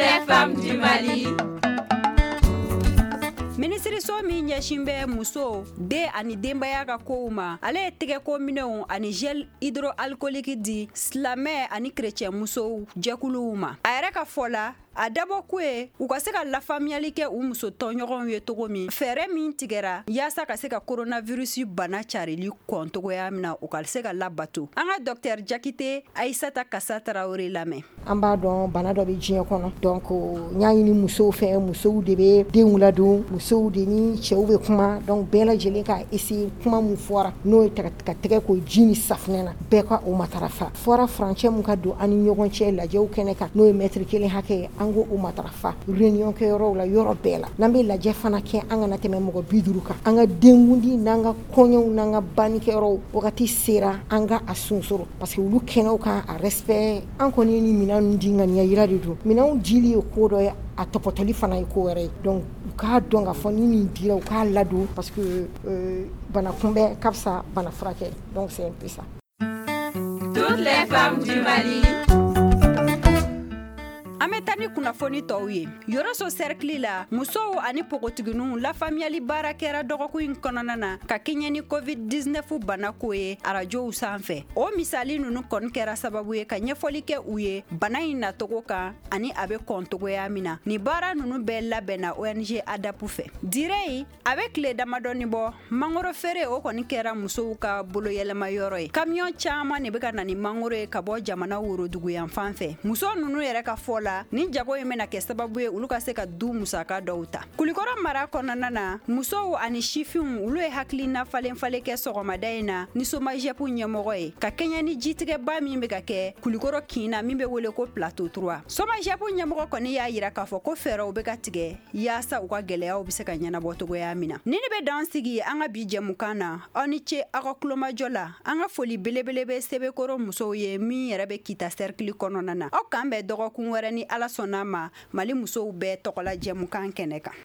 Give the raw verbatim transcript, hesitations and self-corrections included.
Les femmes du Mali. Minisiriso min ɲɛsin bɛ muso, den ani denbaya ka kow ma, ale ye tɛgɛko minɛnw ani gel hydroalcoolique di silamɛ ani kerecɛn musow jɛkuluw ma. A yɛrɛ ka fɔ la, a dabɔ ko ye u ka se ka lafaamuyali kɛ u muso tɔnɲɔgɔnw ye cogo min, fɛɛrɛ min tigɛra yaasa ka se ka coronavirus bana carili kɔn cogoya min na, u ka se ka labato. An ka docteur Jakite Ayisata Kasa Tarawele lamɛn. An b'a dɔn, bana dɔ bɛ diɲɛ kɔnɔ. Donc n y'a ɲini musow fɛ, musow de bɛ denw ladon, musow de ni cɛw bɛ kuma. Donc bɛɛ lajɛlen ka essayer, kuma min fɔra, n'o ye ka tɛgɛ ko ji ni safunɛ na, bɛɛ ka o matarafa. Fɔra furancɛ min ka don an ni ɲɔgɔn cɛ lajɛw kɛnɛ kan, n'o ye mètre kelen hakɛ ye, an ko o matarafa réunion kɛyɔrɔw la, yɔrɔ bɛɛ la. N'an bɛ lajɛ fana kɛ, an kana tɛmɛ mɔgɔ bi duuru kan. An ka denkundi n'an ka kɔɲɔw n'an ka bannikɛyɔrɔw, wagati sera an ka a sonsoro, parce que olu kɛnɛw kan a respect. An kɔni ni minɛn di, ŋaniya yira de don. Minɛnw dili ye ko dɔ ye, a tɔpɔtɔli fana ye ko wɛrɛ ye. Donc u k'a dɔn k'a fɔ ni nin dira, u k'a ladon, parce que euh, bana kunbɛn ka fisa bana furakɛ. Donc c'est un peu ça. Toutes les femmes du Mali. An bɛ taa ni kunnafoni tɔw ye. Yɔrɔso cercle la, musow ani npogotigininw lafaamuyali baara kɛra dɔgɔkun in kɔnɔna na ka kɛɲɛ ni COVID dix-neuf banako ye arajow sanfɛ. O misali ninnu kɔni kɛra sababu ye ka ɲɛfɔli kɛ u ye bana in nacogo kan ani a bɛ kɔn cogoya min na. Nin baara ninnu bɛɛ labɛnna O N G ADAP fɛ. Dire a bɛ tile damadɔni bɔ, mangoro feere, o kɔni kɛra musow ka boloyɛlɛma yɔrɔ ye. Kamiyɔn caman de bɛ ka na ni mangoro ye ka bɔ jamana worodugu fan fɛ. Muso ninnu yɛrɛ ka fɔ la, ni jago in bɛna kɛ sababu ye olu ka se ka du musaka dɔw ta. Kulikɔrɔ mara kɔnɔna na, musow ani sifinw, olu ye hakilina falen falen kɛ sɔgɔmada in na ni SOMAGEP ɲɛmɔgɔ ye ka kɛɲɛ ni jitigɛba min bɛ ka kɛ Kulikɔrɔ kin na, min bɛ wele ko Plateau trois. SOMAGEP ɲɛmɔgɔ kɔni y'a yira k'a fɔ ko fɛɛrɛw bɛ ka tigɛ yaasa u ka gɛlɛyaw bɛ se ka ɲɛnabɔ cogoya min na. Ni ne bɛ dan sigi an ka bi jɛmukan na. Aw ni ce aw ka kulomajɔ la. An ka foli belebele bɛ Sebekɔrɔ musow ye min yɛrɛ bɛ Kita cercle kɔnɔna na. Aw k'an bɛn dɔgɔkun wɛrɛ ni Ala sɔnna ma, Mali musow bɛɛ tɔgɔla jɛmukan kɛnɛ kan.